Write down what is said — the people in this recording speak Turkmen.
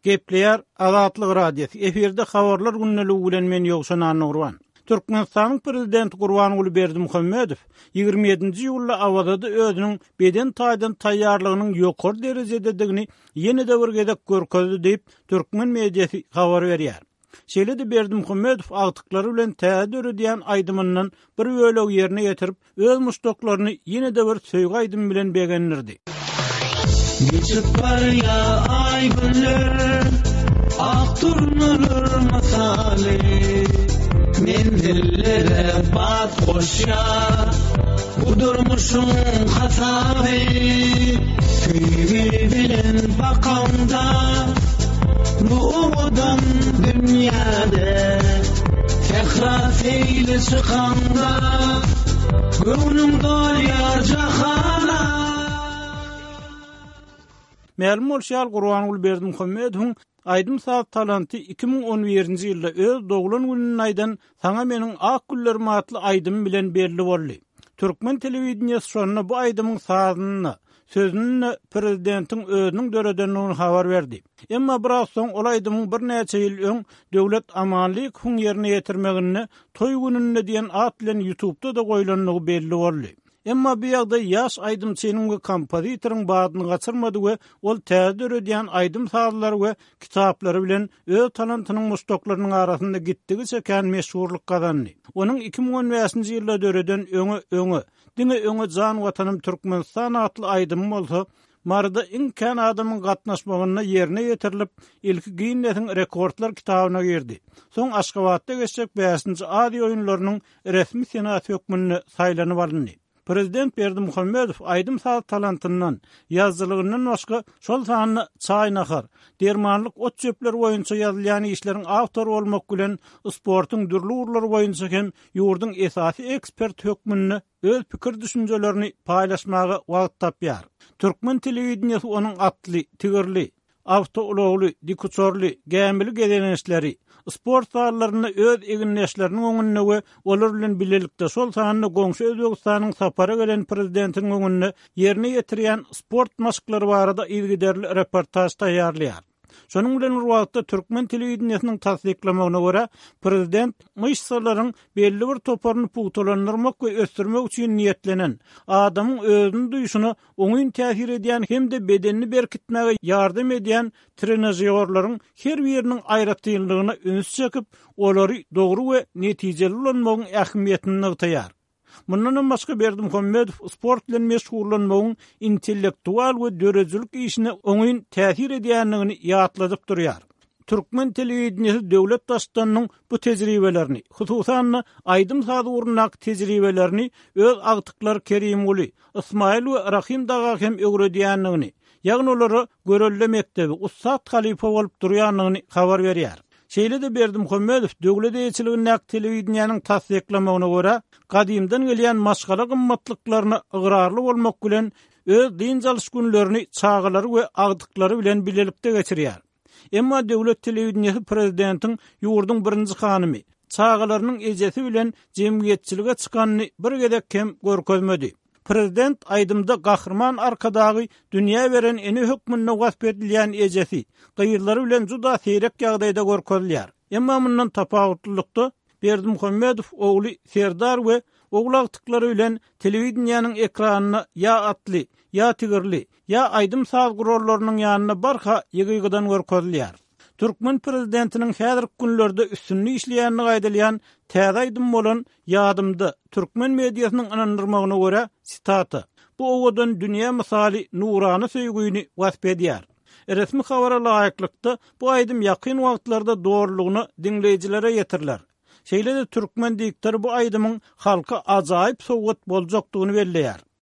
Gepleýär Azatlyk Radiosy, efirde Habarlar gündeligi bilen men Ýowşan Annagurban. Türkmenistanyň Prezidenti Gurbanguly Berdimuhamedow 27-nji iýulda Awazada özüniň beden taýdan taýýarlygynyň ýokary derejededigini ýene-de bir gezek görkezdi diýip, türkmen mediasy habar berýär. Şeýle-de Berdimuhamedow agtyklary bilen täze döredýän aýdymyndan bir bölegi ýerine ýetirip, öz muşdaklaryny ýene-de bir söýgi aýdymy bilen begendirdi. Geçip barýa aý-günler, Ak durnalar mysaly, Menzillere bat goşýar, Bu durmuşyň hasaby. Söýgi bilen bakaňda, Bu owadan dünýäde, Sähra seýle çykaňda, Göwnüň dolýar jahana. Mälim bolşy ýaly, Gurbanguly Berdimuhamedowyň aýdym-saz talanty 2011-nji ýylda öz doglan gününde aýdan Saňa meniň ak güllerim atly aýdymy bilen belli boldy. Türkmen telewideniýesi şonda bu aýdymyň sazyny-da, sözüni-de prezidentiň özüniň döredendigini habar berdi. Emma biraz soň ol aýdymyň birnäçe ýyl öň Döwlet Amanlykowyň ýerine ýetirmeginde Toý gününde diýen at bilen ýutubda-da goýlandygy belli boldy. Emma bu ýagdaý ýaş aýdymçynyň we kompozitoryň badyny gaçyrmady we ol täze döredýän aýdym-sazlary we kitaplary bilen öz talantynyň muşdaklarynyň arasynda gitdigiçe kän meşhurlyk gazandy. Onuň 2015-nji ýylda döreden Öňe, öňe, diňe öňe jan Watanym Türkmenistan atly aýdymy bolsa Maryda iň kän adamyň gatnaşmagynda ýerine ýetirilip, ilki Ginnesiň rekordlar kitabyna girdi. Soň Aşgabatda geçjek bäşinji Aziýa oýunlarynyň resmi senasy hökmünde saýlanyp alyndy. Prezident Berdimuhamedow aýdym-saz talantyndan, ýazyjylygyndan başga, şol sanda çaý-nahar, dermanlyk ot-çöpler boýunça ýazylýan işleriň awtory bolmak bilen, sportuň dürli ugurlary boýunça hem ýurduň esasy eksperti hökmünde öz pikir-düşünjelerini paýlaşmaga wagt tapýar. Türkmen telewideniýesi onuň atly, tigirli, awtoulagly, dikuçarly, gämili gezelençleri, sport zallarynda öz egindeşleriniň öňünde we olar bilen bilelikde, şol sanda goňşy Özbegistanyň sapara gelen prezidentiniň öňünde ýerine ýetirýän sport maşklary barada yzygiderli reportaž taýýarlaýar. Şonuň bilen bir wagtda, türkmen telewideniýesiniň tassyklamagyna görä, prezident myşsalaryň belli bir toparyny pugtalandyrmak we ösdürmek üçin niýetlenen, adamyň özüni duýşuna oňyn täsir edýän hem-de bedenini berkitmäge ýardam edýän trenažýorlaryň her biriniň aýratynlygyna üns çekip, olary dogry we netijeli ulanmagyň ähmiýetini nygtaýar. Mundanam başga Berdimuhamedow sport bilen meşgullanmagyň intellektual we döredijilik işine oňyn täsir edýändigini ýatladyp durýar. Türkmen telewideniýesi döwlet Baştutanynyň bu tejribelerini, hususan-da, aýdym-saz ugrundaky tejribelerini öz agtyklary Kerimguly, Ysmaýyl we Rahym daga hem öwredýändigini, ýagny olara görelde mekdebi, ussat halypa bolup durýandygyny habar berýär. Şeýle-de Berdimuhamedow döwlet eýeçiligindäki telewideniýäniň tassyklamagyna görä, gadymdan gelýän maşgala gymmatlyklaryna ygrarly bolmak bilen, öz dynç alyş günlerini çagalary we agtyklary bilen bilelikde geçirýär. Emma döwlet telewideniýesi prezidentiň ýurduň birinji hanymy, çagalarynyň ejesi bilen jemgyýetçilige çykanyny bir gezek hem görkezmedi. Prezident aýdymda Gahryman Arkadagy dünýä beren ene hökmünde wasp edilýän ejesi, gyzlary bilen juda seýrek ýagdaýda görkezilýär. Emma mundan tapawutlylykda, Berdimuhamedow ogly Serdar we ogul agtyklary bilen telewideniýäniň ekranynda ýa atly, ýa tigirli, ýa aýdym-saz gurallarynyň ýanynda barha ýygy-ýygydan görkezilýär. Türkmen prezidentiniň häzirki günlerde üstünde işleýändigi aýdylýan täze aýdym bolan Ýadymda, türkmen mediasynyň ynandyrmagyna görä, sitata, bu owadan dünýä mysaly nurana söýgüni wasp edýär. Resmi habara laýyklykda, bu aýdym ýakyn wagtlarda dolulygyna diňleýjilere ýetiriler. Şeýle-de türkmen diktory bu aýdymyň halka ajaýyp sowgat boljakdygyny belleýär.